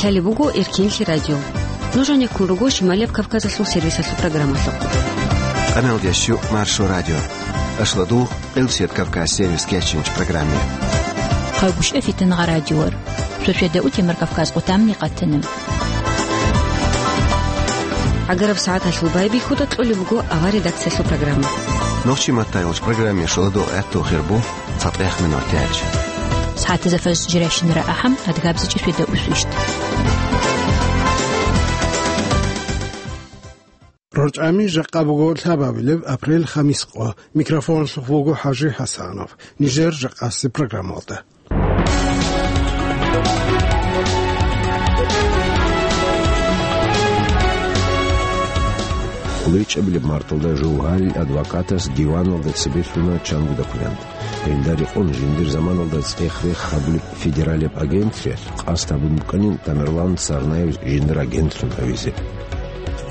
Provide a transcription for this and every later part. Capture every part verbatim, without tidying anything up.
Гьале буго Эркинлъи радио. Нуж гьанеккун руго Шималияб Кавказалъул сервисалъул программалъухъ. Къаналдеш щу Маршо радио. Ашладу Къилсият Кавказ сервис кечинч программе. Хъайгушев Фитнагъа радиор. Шошеда утемар Кавказ къутамни къатана. Агараб сагӀаталъул байбихьуда кьолеб буго авар редакциялъул программа. Нохчи маттайгъуч программе шоладу гӀатту хирбу. ЦатӀех минутач. СагӀатазда фажр жирайщинара ахӀам, адгабзичӀеб шведа усу ишт. РорчӀами жакъа буго лъабабилеб апрель хамис къо. Микрофонлъухъ вуго ХӀажи ХӀасанов. Нижер жакъаси программалда. КӀолеб марталда Жовгьарил адвокатас диваналда цебе лъуна чанго документ. Гьелда рекъон жиндир заманалда цӀех-рех гьабулеб федералияб агенталъ къасд гьабун букӀанин Тамерлан Царнаев жиндир агентлъун гьавизе.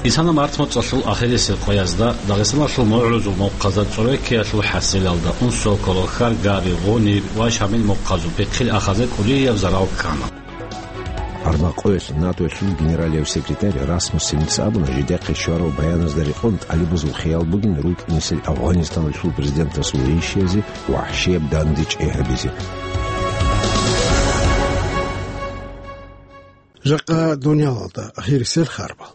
Исана март моцӀалъул ахирисеб къоязда Дагъистаналъул мугӀрузул мухъазда цӀореккиялъул хӀасилалда унсо ккола Хьаргари, Гъуниб ва Шамил мухъазул пихъил ахазе кӀудияб зарал ккана. Арбакъоялъ НАТОялъул генералияб секретарь Расмуссеница абуна, жидехъе щварал баяназда рекъон тӀалибазул хиял бугин рукӀинесел Афгъанистаналъул президентасул ришиязе вахӀшияб дандечӀей гьабизе. Жакъа дунялалда ахирисел харбал.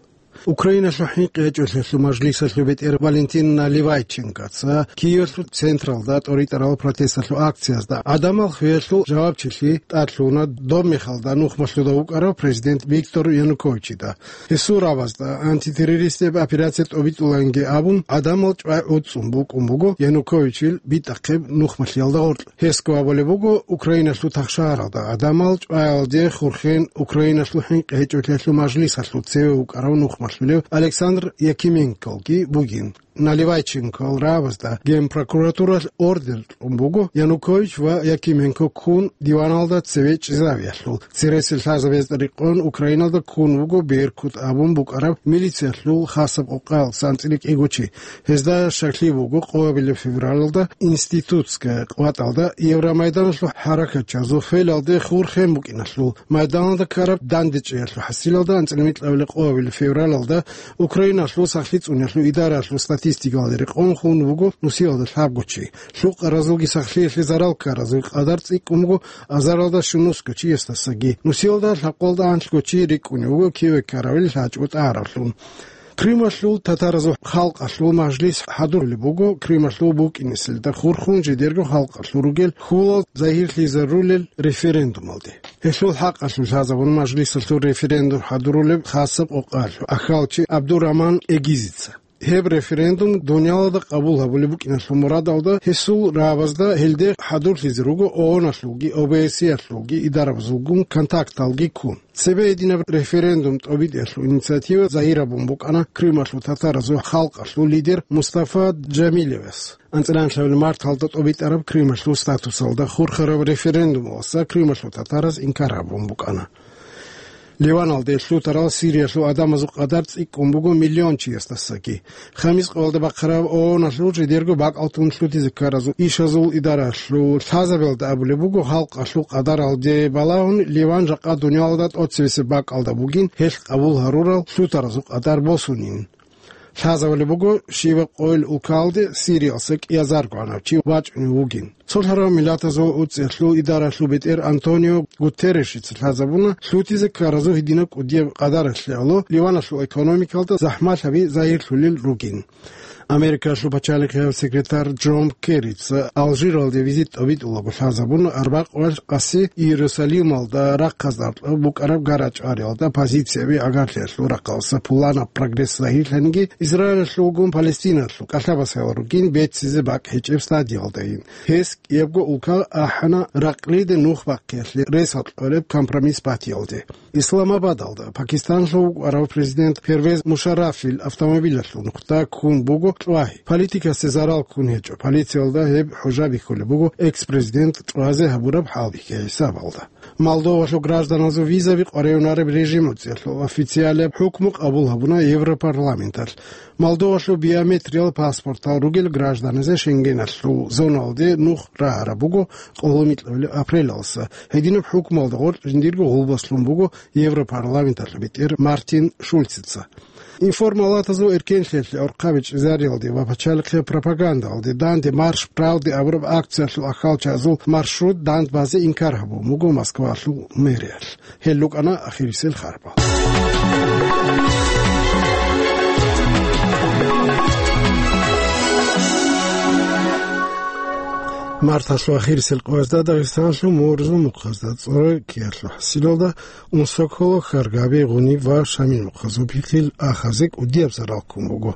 Украиналъул хӀинкъи гьечӀолъиялъул мажлисалъул бетӀер Валентин Наливайченкоца Киевалъул централда тӀоритӀарал протесталъул акциязда гӀадамал хвеялъул жавабчилъи тӀадлъуна доб мехалда нухмалъуда вукӀарав президент Виктор Януковичида. Гьесул рабазда антитеррористияб операция тӀобитӀуланги абун, гӀадамал чӀвай гӀуцӀцӀун букӀун буго Януковичил битӀахъеб нухмалъиялда гъоркь. Гьесго абулеб буго, Украиналъул тахшагьаралда гӀадамал чӀваялде хурхен Украиналъул хӀинкъи гьечӀолъиялъул мажлисалъул цеве вукӀарав нухмалъулев Александр Якименколги бугин. Наливайченкол рабазда Генпрокуратуралъ ордер кьун буго Янукович ва Якименко ккун диваналда цеве чӀезавиялъул. Цересел лъазабазда рекъон Украиналда ккун вуго Беркут абун букӀараб милициялъул хасаб къокъаялдаса анцӀила кӀиго чи. Гьезда щаклъи буго къоабилеб февралалда Институтская къватӀалда Евромайданалъул хӀаракатчазул хвелалде хурхен букӀиналъул, майданалда ккараб дандечӀеялъул хӀасилалда анцӀила микьабилеб къоабилеб февралалда Украиналъул сахлъи цӀуниялъул идараялъул статистикалде рекъон хун вуго нусиялда лъабго чи. Лъукъаразулги сахлъиялъе зарал ккаразул къадар цӀикӀкӀун буго азаралда щунусго чиясдасаги. Нусиялда лъабкъоялда анлъго чи рикӀкӀунев вуго киве ккаравил лъачӀого тӀагӀаравлъун. Крымалъул татаразул халкъалъул мажлис хӀадурулеб буго Крымалъул букӀинеселда хурхун жидерго халкъалъул ругел хьулал загьирлъизарулел референдумалде. Гьелъул хӀакъалъулъ лъазабун мажлисалъул референдум хӀадурулеб хасаб къокъалъул ахьалчи Абдураман Эгизица. Гьеб референдум дунялалда къабул гьабулеб букӀиналъул мурадалда гьесул рабазда гьелде хӀадурлъизе руго ООН-алъулги, ОБСЕ-ялъулги идарабазулгун контакталги ккун. Цебе гьединаб референдум тӀобитӀиялъул инициатива загьирабун букӀана Крымалъул татаразул халкъалъул лидер Мустафа Джамилевас. АнцӀила анлъабилеб марталда тӀобитӀараб Крымалъул статусалда хурхараб референдумалдаса Крымалъул татараз инкар гьабун букӀана. Ливаналде лъутарал Сириялъул гӀадамазул къадар цӀикӀкӀун буго миллион чиясдасаги. Хамис къоялда бахъараб ООН-алъул жидерго бакӀалтун лъутизе ккаразул ишазул идаралъул лъазабиялда абулеб буго, халкъалъул къадаралде балагьун, Ливан жакъа дунялалда тӀоцебесеб бакӀалда бугин, гьелъ къабул гьарурал лъутаразул къадар босунин. Лъазабулеб буго, щибаб къойил улкалде Сириялдаса кӀиазарго гӀанав чи вачӀунев вугин. Цолъарав Миллатазул УцӀиялъул идаралъул бетӀер Антонио Гутерришица лъазабуна, лъутизе ккаразул гьединаб кӀудияб къадаралъе гӀоло Ливаналъул экономикалда захӀмалъаби загьирлъулел ругин. Америкалъул пачалихъияб секретарь Джон Керрица Алжиралде визит тӀобитӀулаго лъазабуна, арбакъ ва къаси Иерусалималда рахъазда букӀараб гара-чӀвариялда позицияби агарлъиялъул рахъалдаса пуланаб прогресс загьирлъаниги, Израилалъулгун Палестиналъул кӀалъабасаял ругин беццизе бакӀ гьечӀеб стадиялдайин. Гьес кӀиябго улка ахӀана ракълиде нух бахъиялъе ресал кьолеб компромисс батиялде. Исламабадалда Пакистанлъул вукӀарав президент Первез Мушаррафил автомобилалъул нухда ккун буго чӀвагьи. Политикасе зарал ккун гьечӀо. Полициялда гьеб хӀужа бихьулеб буго экс-президент чӀвазе гьабураб хӀалбихьи хӀисабалда. Молдовалъул гражданазул визаби къваригӀунареб режим гӀуцӀиялъул официалияб хӀукму къабул гьабуна Европарламенталъ. Молдовалъул биометриял паспортал ругел гражданазе Шенгеналъул зоналде нух рагӀараб буго къоло микьабилеб апрелалдаса. Гьединаб хӀукмуялда гъоркь жиндирго гъулбас лъун буго Европарламенталъул бетӀер Мартин Шульцица. Информалатазул эркенлъиялъе орхъаби чӀезариялде ва пачалихъе пропагандалде данде «Марш правды» абураб акциялъул ахьалчазул маршрут дандбазе инкар гьабун буго Москвалъул мэриялъ. Гьел рукӀана ахирисел харбал. Марталъул ахирисел къоязда Дагъистаналъул мугӀрузул мухъазда цӀорой ккеялъул хӀасилалда Унсоколо, Харгаби, Гъуниб ва Шамил мухъазул пихъил ахазе кӀудияб зарал ккун буго.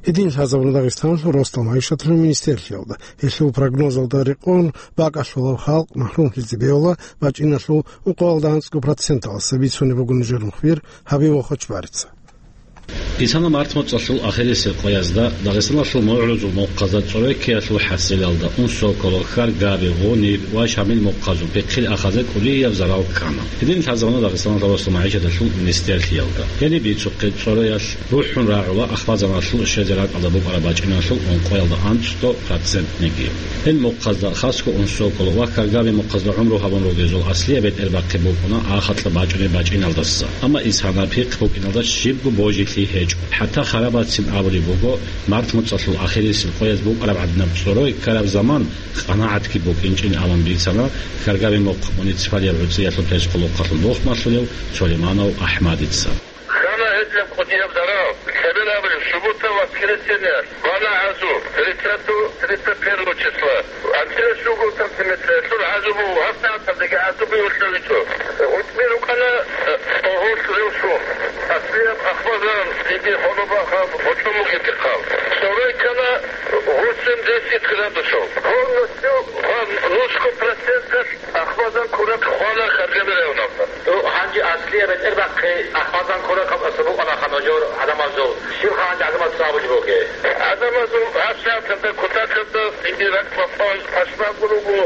Гьедин лъазабуна Дагъистаналъул росдал магӀишаталъул министрлъиялда. Гьелъул прогнозалда рекъон, бакӀалъулаб халкъ махӀрумлъизе бегьула бачӀиналъул ункъоялда анцӀго проценталдаса, бицунеб буго нижер мухбир Гьабибул Хочбарица. Исана март моцӀалъул ахирисеб къоязда Дагъистаналъул мугӀрузул мухъазда цӀорой ккеялъул хӀасилалда Унсоколо, Харгаби, Гъуниб ва Шамил мухъазул пихъил ахазе кӀудияб зарал ккана. Гьедин лъазабуна Дагъистаналда росдал магӀишаталъул министрлъиялда. Гьениб бицухъе цӀороялъ рухӀун рагӀула ахвазаналъул щвезе ракӀалда букӀараб бачӀиналъул ункъоялда анцӀго процентниги. Гьел мухъазда, хасго Унсоколо ва Харгаби мухъазда гӀумру гьабун ругезул аслияб бетӀербахъи букӀуна ахалъа бачӀунеб бачӀиналдаса. Амма исана пихъ букӀиналда щибго божилъи гьечӀо. ХӀатта харабацин абулеб буго, март моцӀалъул ахирисеб къояз букӀараб гӀадинаб цӀорой ккараб заман къанагӀатги букӀинчӀин абун бицана Харгаби мухъ муниципалияб гӀуцӀиялъул пресс-къулухъалъул мухъмалъулев Сулейманов АхӀмадица. Хана гьединаб кӀудияб зарал, лъеберабали субута ва воскресенье, бана гӀазу, тридцатого, тридцать первого числа. АнцӀила щуго сантиметр, гьелъул гӀазу буго, гьабсагӀаталдаги гӀазу буго лъабичӀо. ГъутӀби рукӀана, э, гъорлъ ревсун. Аслияб ахвазан, диги хӀолобахъаб, гъочон бугеб бихъал. Цорой ккана восемьдесят градусов. Полностью ва нусго проценталъ ахвазан ккураб хвана Харгаби районалда. Гьанже аслияб бетӀербахъи ахвазан ккураб хабалъ букӀана ханажур гӀадамазул. Щибха гьанже гӀадамаз абулеб бугеб? ГӀадамазул гьабсагӀаталда кутакалда диги ракӀ бахъун пашманго руго,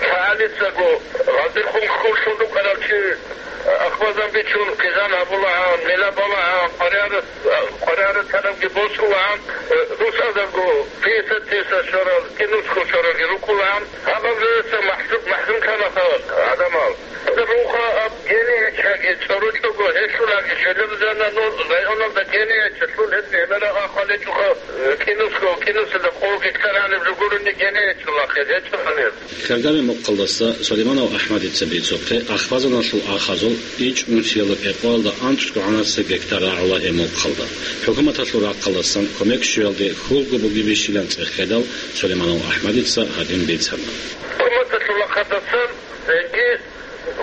лъагӀалицаго, гъаздехун хьуллъун рукӀарав чи ахвазан бичун, хъизан гьабулаан, мела балаан, къваригӀарас, къваригӀарасанабги босулаан, э, росазарго пятьдесят тысяч щварал, кӀинусго щваралги рукӀулаан, гьаб-гьаб жоялъа махӀру-, махӀрум кканаха гӀадамал. Руха аб генигьечӀаги, цӀорочӀого гьелъулаги, щвелеб жанна ну районалда генигьечӀалъул гьез гьеларагъа хъвалечӀоха, э, кӀинусго, кӀинусида къо гектар гьаниб жо гурони генигьечӀолахъе, гьечӀо гьанир. Харгаби мухъалдаса Сулейманов АхӀмадица бицухъе, ахвазаналъул ахазул ичӀнусиялда кӀикъоялда анцӀго гӀанасеб гектар рагӀула гьеб мухъалда. ХӀукуматалъул рахъалдасан кумек щвеялде хьулго бугебищилан цӀехедал, Сулейманов АхӀмадица гьадин бицана. ХӀукуматалъул рахъалдасан, э,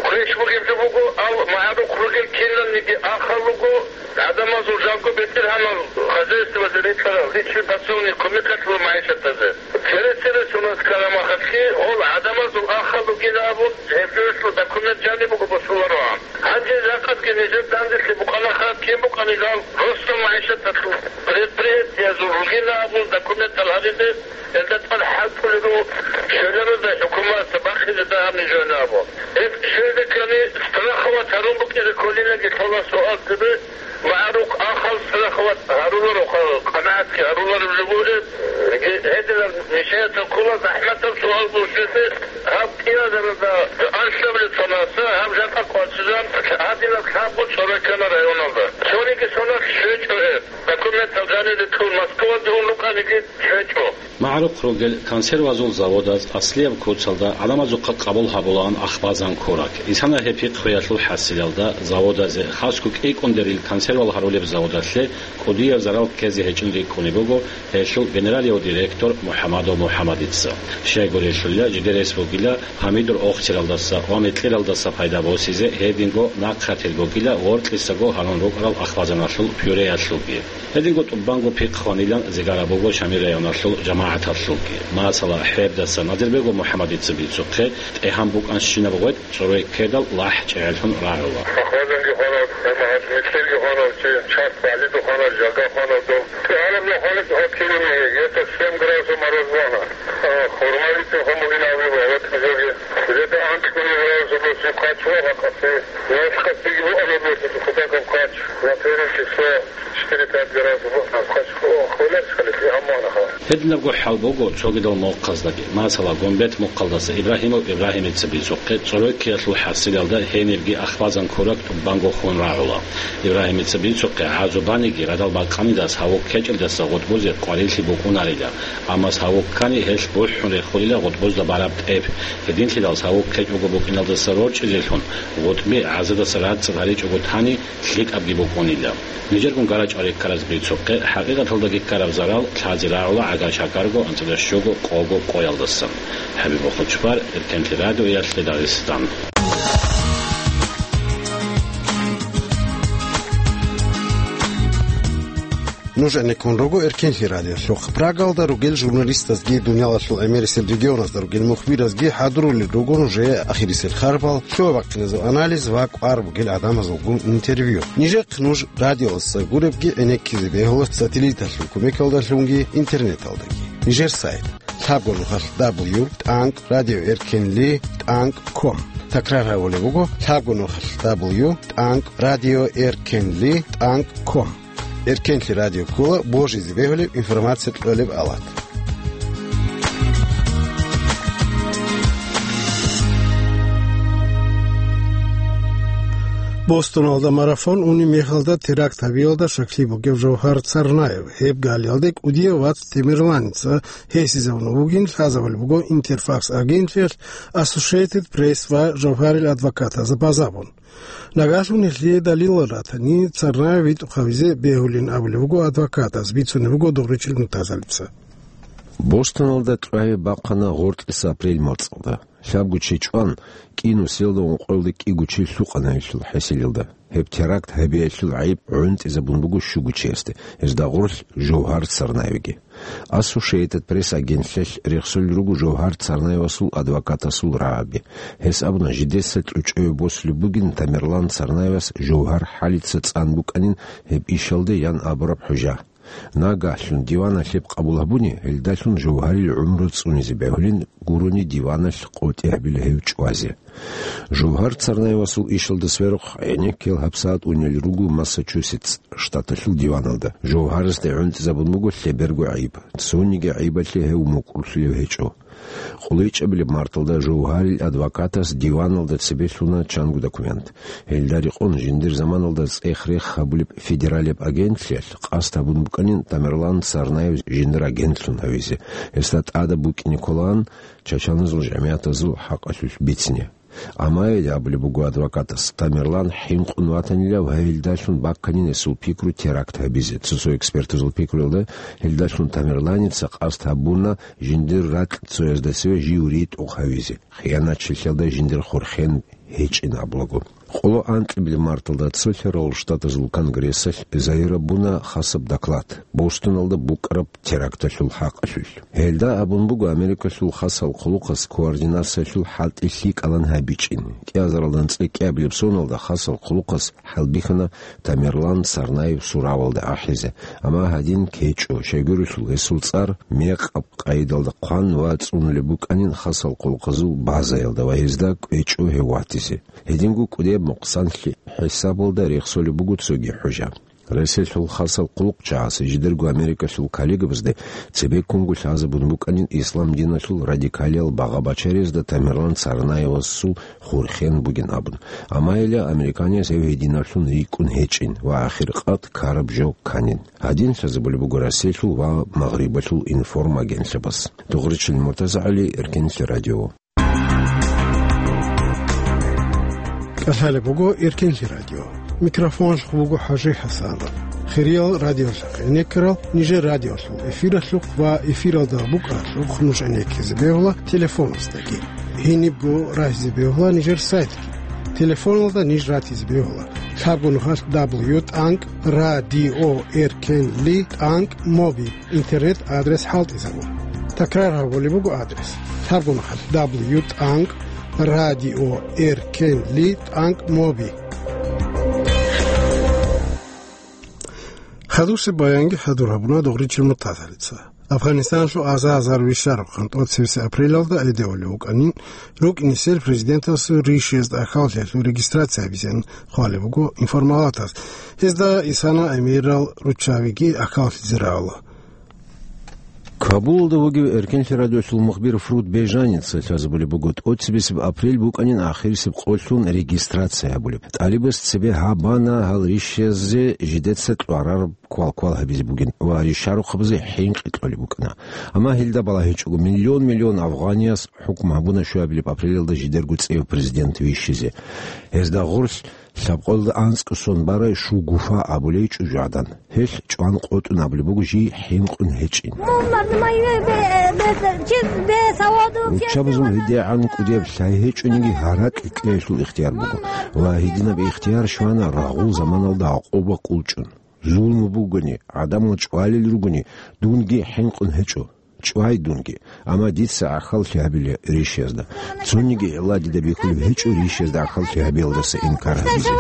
квеш бугеб жо буго, ал магӀарухъ ругел киналниги ахал руго, гӀадамазул жалго бетӀергьанал хозяйствоялъе рекьарал, личный подсобный кумекалъула магӀишатазе. Цере-цере сунат ккараб махалъги, гьол гӀадамазул ахал ругин абун, гьеб жоялъул документ жаниб буго босулароан. Гьанже жакъасги нижер данделъи букӀанаха, кин букӀанилан росдал магӀишаталъул предприятиязул ругин абун документал гьабизе, гьелда тӀад хӀалтӀулел руго, щвеларада хӀукуматалда бахъизе дагьаб нижер абун. Гьеб щвезе ккани страховать гьарун букӀизе кколинаги лъола суал цебе, магӀарухъ ахал страховать гьарулароха, къанагӀатги гьарулареб жо бугеб, гьединаб нижеца ккола захӀматаб суал босизе, гьаб кӀиазарада анлъабилеб цоналъа гьаб жакъа къватӀизан гьадинаб лъабго цӀорой ккана районалда. Цониги соналъ щвечӀо гьеб. Документал жанире ккун Москваде ун рукӀаниги щвечӀо. МагӀарухъ ругел консервазул заводаз аслияб куцалда гӀадамазухъа къабул гьабулаан ахбазан ккураб. Исана гьеб пихъ хвеялъул хӀасилалда заводазе, хасго кӀикӀундерил консервал гьарулеб заводалъе кӀудияб зарал ккезе гьечӀин рикӀкӀунеб буго гьелъул генералияв директор МухӀамадов МухӀамадица. Щайгурелъулила, жидер рес бугила гьамидур охцералдаса ва мекьералдаса пайда босизе, гьединго нахърател бугила гъоркьисаго гьарун рукӀарал ахбазаналъул пюреялъулги. Гьединго тӀубанго пихъ хванилан зигараб буго Шамил районалъул жамагӀаталъулги. Масала, хӀебдаса Назирбегов МухӀамадица бицухъе, тӀегьан букӀанщинаб гъветӀ цӀорой ккедал лахӀ чӀегӀерлъун рагӀула. Ахвазанги хванав, жамагӀат мекьерги хванав, чи чарх багьлида хванав, жага хванав дов. ТӀегьанаб хванав гьаб километр, где-то семь градусов мороз бана. А, хурмалицин хван бугин абулеб гьаб жоги. Где-то анкетный разработчик качества, как ты, знаешь, как ты его работаешь, куда как кач, на первое число, четыре-пять раз в год, как кач, о, хуйлар скалит, и амманаха. Гьединабго хӀал буго цогидал мухъаздаги. Масала, Гумбет мухъалдаса Ибрагьимов Ибрагьимица бицухъе, цӀоройккиялъул хӀасилалда гьенибги ахвазан ккураб тӀубанго хун рагӀула. Ибрагьимица бицухъе гӀазу баниги радал бакъанидас гьаву ккечӀелдаса гъутӀбузе къварилъи букӀунарила. Амма гьаву ккани, гьелъ бухӀун рехулила гъутӀбузда бараб тӀеб. Гьединлъидал гьаву ккечӀого букӀиналдаса рорчӀизелъун, гъутӀби гӀазадаса рацӀцӀад гьаричӀого тани, лъикӀабги букӀунила. Нижергун гарачӀал реккараз бицухъе, хӀакъикъаталдаги ккараб зарал лъазе рагӀула гӀагар-чагӀарго анцӀила щуго къого къоялдасан. ХӀабибул Хучбар, Эркенлъи радиоялъе Дагъистан. Нуж гӀенеккун руго Эркенлъи радиолъухъ. Прагалда ругел журналистазги, дуниялалъул гӀемерисел регионазда ругел мухбиразги хӀадурулел руго нужее ахирисел харбал, лъугьа-бахъиназул анализ ва кӀвар бугел гӀадамазулгун интервью. Нижехъ нуж радиоялдаса гуребги гӀенеккизе бегьула сателлиталъул кумекалдалъунги интернеталдаги. Нижер сайт: лъабго нухалъ дабл ю тӀанкӀ радио эркенли тӀанкӀ ком. Такрар гьабулеб буго: лъабго нухалъ дабл ю тӀанкӀ радио эркенли тӀанкӀ ком. Эркенлъи радио ккола божизе бегьулеб информация кьолеб алат. Бостоналда марафон унеб мехалда теракт гьабиялда щаклъи бугев Жавгьар Царнаев, гьеб галиялде кӀудияв вац Тамерланица гьесизавун вугин лъазабулеб буго Интерфакс агентлъиялъ, Associated Press ва Жавгьарил адвокатазда базабун. Нагагьлъун гьелъие далилал ратани, Царнаев витӀухъ гьавизе бегьулин абулеб буго адвокатаз, бицунеб буго Дугъричил Муртазалица. Бостоналда кьвагьи бахъана гъоркьиса апрель мацӀалда. Лъабго чи чӀван, кӀиго сорок гьабиялда кӀиго чи лъукъана гьелъул хӀасилалда. Гьеб теракт гьабиялъул гӀайиб гӀунтӀизабун буго щуго чиясде, гьезда гъорлъ Жавгьар Царнаевги. Associated Press агентлъиялъ рехсолел руго Жавгьар Царнаевасул адвокатасул рагӀаби. Гьес абуна, жидеца кьучӀеве босулеб бугин Тамерлан Царнаевас Жавгьар хӀалица цӀан букӀанин гьеб ишалде ян абураб хӀужа. Нагагьлъун диваналъ гьеб къабул гьабуни, гьелдалъун Жавгьарил гӀумру цӀунизе бегьулин гурони диваналъ къотӀи гьабила гьев чӀвазе. Жавгьар Царнаевасул ишалда сверухъ гӀенеккиял гьабсагӀат унел руго Массачусетс штаталъул диваналда. Жавгьарасде гӀунтӀизабун буго лъеберго гӀайиб. Цониги гӀайибалъе гьев мукӀурлъулев гьечӀо. КъолечӀабилеб марталда Жавгьарил адвокатас диваналда цебе лъуна чанго документ. Гьелда рекъон жиндир заманалда цӀех-рех гьабулеб федералияб агентлъиялъ къасд гьабун букӀанин Тамерлан Царнаев жиндир агентлъун гьавизе, гьесда тӀадаб букӀине кколаан чачаназул жамигӀатазул хӀакъалъулъ бицине. Амма гьеле абулеб буго адвокатас, Тамерлан хӀинкъун ватанилав гьелдалъун бакканин гьесул пикру теракт гьабизе. Цо-цо экспертазул пикруялда, гьелдалъун Тамерланица къасд гьабуна жиндир ракь цоязда цеве жив ритӀухъ гьавизе, хиянатчилъиялда жиндир хурхен гьечӀин абулаго. Къоло анкьабилеб марталда Цолъарал Штатазул Конгрессалъ загьир гьабуна хасаб доклад Бостоналда букӀараб теракталъул хӀакъалъулъ. Гьелда абун буго Америкалъул хасал хъулухъас координациялъул хӀалтӀи лъикӀалан гьабичӀин. КӀиазаралда анцӀила кӀиабилеб соналда хасал хъулухъас хӀалбихьана Тамерлан Царнаев суравалда ахӀизе, амма гьадин ккечӀо, щайгурелъул гьесул цӀар мекъаб къайдалда хъван ва цӀунулеб букӀанин хасал хъулухъазул базаялда ва гьезда кӀвечӀо гьев ватизе. Гьединго кӀудияб мукъсанлъи хӀисабалда рехсолеб буго цоги хӀужа. Россиялъул хасал хъулухъчагӀаз жидерго Америкалъул коллегабазде цебеккунго лъазабун букӀанин ислам диналъул радикалиял багъа-бачариязда Тамерлан Царнаевасул хурхен бугин абун. Амма гьеле американияс гьев гьединаблъун рикӀкӀун гьечӀин ва ахиркъад ккараб жо кканин. Гьадин лъазабулеб буго Россиялъул ва Магърибалъул информагенталъабаз. Дугъричил МуртазагӀали, Эркенлъи радио. КӀалъалеб буго Эркенлъи радио. Микрофоналъухъ буго ХӀажи ХӀасанов. Хириял радиолъахъ гӀенеккарал, нижер радиолъул эфиралъухъ ва эфиралда букӀаралъухъ нуж гӀенеккизе бегьула телефоназдаги. Гьенибго рагьизе бегьула нижер сайтги. Телефоналда ниж ратизе бегьула: лъабго нухалъ дабл ю тӀанкӀ радио эркенли тӀанкӀ моби. Интернет адрес хӀалтӀизабун. Такрар гьабулеб буго адрес: лъабго нухалъ дабл ю тӀанкӀ радио эркенли тӀанкӀ моби. Хадусеб баянги хӀадур гьабуна Дугъричил Муртазалица. Афганистаналъул аза-азар вищараб хъан тӀоцебесеб апрелалда гӀедегӀулев вукӀанин, рукӀинесел президентасул ришиязда ахӀваллъиялъул регистрация гьабизеян хъвалеб буго информалатас. Гьезда Исана эмирал руччабиги ахӀваллъизе рагӀула. Кабулалда вугев Эркенлъи радиолъул мухбир Фруд Бежаница лъазабулеб буго, тӀоцебесеб апрель букӀанин ахирисеб къолъун регистрация гьабулеб. ТӀалибаз цебе гьабана гьал ришиязде жидеца кьварараб квалквал гьабизе бугин ва ришарухъабазе хӀинкъи кьолеб букӀана. Амма гьелда балагьичӀого, миллион-миллион афгъанияс хӀукму гьабуна щуабилеб апрелалда жидерго цӀев президент вищизе. Гьезда гъорлъ лъабкъоялда анцӀго сон барай Шугуфа абулей чӀужугӀадан. Гьелъ чӀван къотӀун абулеб буго жий хӀинкъун гьечӀин. Руччабазул гьедигӀан кӀудияб лъай гьечӀониги гьаракь кьеялъул ихтияр буго, ва гьединаб ихтияр щвана рагъул заманалда гӀакъуба кӀулчӀун. Зулму бугони, гӀадамал чӀвалел ругони, дунги хӀинкъун гьечӀо. ЧӀвай дунги, амма дица гӀахьаллъи гьабила ришиязда. Цониги гӀилла дида бихьулеб гьечӀо ришиязда гӀахьаллъи гьабиялдаса инкар гьабизе.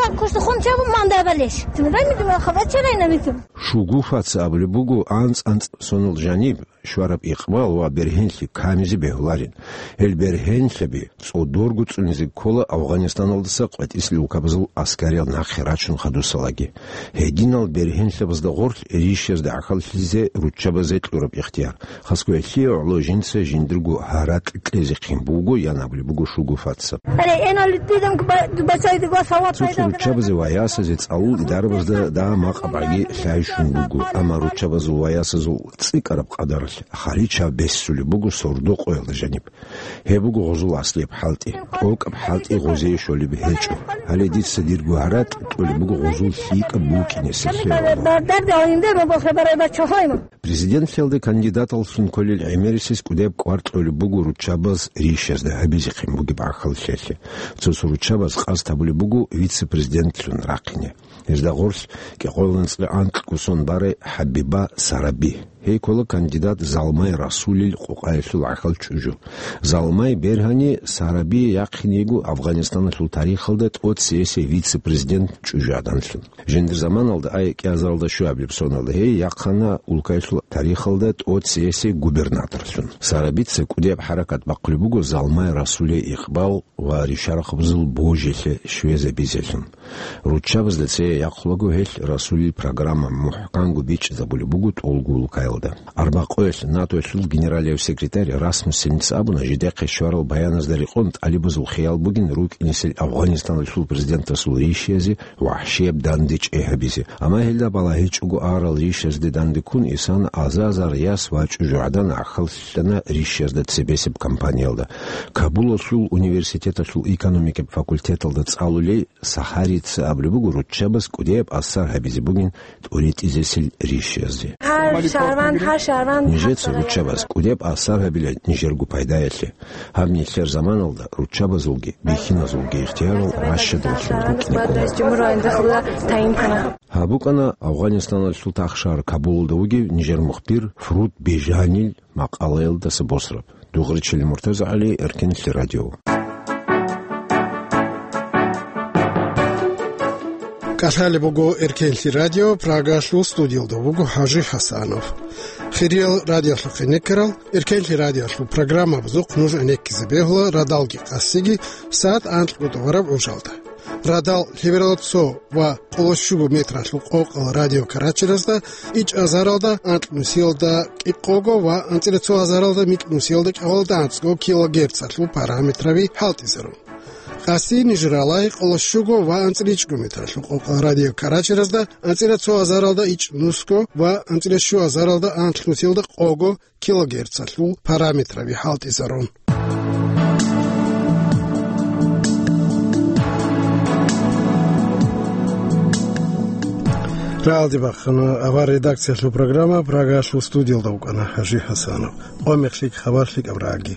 Шугуфаца абулеб буго, анцӀ-анцӀ сонал жаниб щвараб икъбал ва бергьенлъи камизе бегьуларин. Гьел бергьенлъаби цӀодорго цӀунизе ккола Афганистаналдаса къватӀисел улкабазул аскариял нахъе рачун хадусалаги. Гьединал бергьенлъабазда гъорлъ ришиязда гӀахьаллъизе руччабазе кьураб ихтияр. Хасго гьелъие гӀоло жинца жиндирго гьаракь кьезехъин буго, ян абулеб буго Шугуфаца. Цо-цо руччабазе ва ясазе цӀалул идарабазда дагьа макъабгӀаги лъай щун буго, амма руччабазул ва ясазул цӀикӀкӀараб къадаралъ харича бессулеб буго сордо-къоялда жаниб. Гьеб буго гъозул аслияб хӀалтӀи. ТӀокӀаб хӀалтӀи гъозие щолеб гьечӀо. Гьале дица дирго гьаракь кьолеб буго гъозул лъикӀаб букӀинесеб хӀереги. Президентлъиялда кандидаталлъун кколел гӀемерисез кӀудияб кӀвар кьолеб буго руччабаз ришазда гьабизехъин бугеб гӀахьаллъиялъе. Цо-цо руччабаз къасд гьабулеб буго вице-президентлъун рахъине. Гьезда гъорлъ кӀикъоялда анцӀила анкьго сон барай ХӀабиба Сараби. Гьей ккола кандидат Залмай Расулил къокъаялъул гӀахьал чӀужу. Залмай бергьани Сараби яхъин йиго Афганистаналъул тарихалда тӀоцесей вице-президент чӀужугӀаданлъун. Жиндир заманалда, ай кӀиазаралда щуабилеб соналда, гьей яхъана улкаялъул тарихалда тӀоцесей губернаторлъун. Сарабица кӀудияб хӀаракат бахъулеб буго Залмай Расулил икъбал ва ришарахъабазул божилъи щвезабизелъун. Руччабазда цее яхъулаго гьелъ Расулил программа мухӀканго бичӀчӀизабулеб буго тӀолго улкаялда. Арбакъоялъ НАТОялъул генералияв секретарь Расмуссеница абуна, жидехъе щварал баяназда рекъон тӀалибазул хиял бугин рукӀинесел Афганистаналъул президентасул ришиязе вагьшияб данде чӀей гьабизе. Амма гьелда балагьичӀого арал ришазде данде ккун Исана аза-азар яс ва чӀужугӀадан гӀахьаллъана ришазда цебесеб кампаниялда. Кабулалъул университеталъул экономикаб факультеталда цӀалулей Сахарица абулеб буго, руччабаз кӀудияб асар гьабизе бугин тӀуритӀизесел ришазде. Гьар шагьран, гьар шагьран. Нижеца, руччабаз, кӀудияб асар гьабила нижерго пайдаялъе. Гьаб нилъер заманалда руччабазулги бихьиназулги ихтиярал ращадаллъун рукӀине ккола. Гьаб букӀана Афганистаналъул тахшагьар Кабулалда вугев нижер мухбир Фруд Бежанил макъалаялдаса босараб. Дугъричили МуртазагӀали, Эркенлъи радио. КӀалъалеб буго Эркенлъи радио, Прагалъул студиялда вуго ХӀажи ХӀасанов. Хириял радиолъухъе некерал, Эркенлъи радиолъул программабазухъ нуж гӀенеккизе бегьула радалги къасиги сагӀат анкьго тӀубараб гӀужалда. Радал лъебералда цо ва къоло щуго метралъул къокъал радиокарачиразда, ичӀазаралда анкьнусиялда кӀикъого ва анцӀила цо азаралда микьнусиялда кӀикъоялда анцӀго килогерцалъул параметраби хӀалтӀизарун. Къаси нижералай къоло щуго ва анцӀила ичӀго метралъул къокъал радиокарачиразда, анцӀила цо азаралда ичӀнусго ва анцӀила щу азаралда анкьнусиялда къого килогерцалъул параметраби хӀалтӀизарун. Рагьалде бахъана авар редакциялъул программа, Прагалъул студиялда вукӀана ХӀажи ХӀасанов. Къо-мех лъикӀ, хабар лъикӀаб рагӀаги.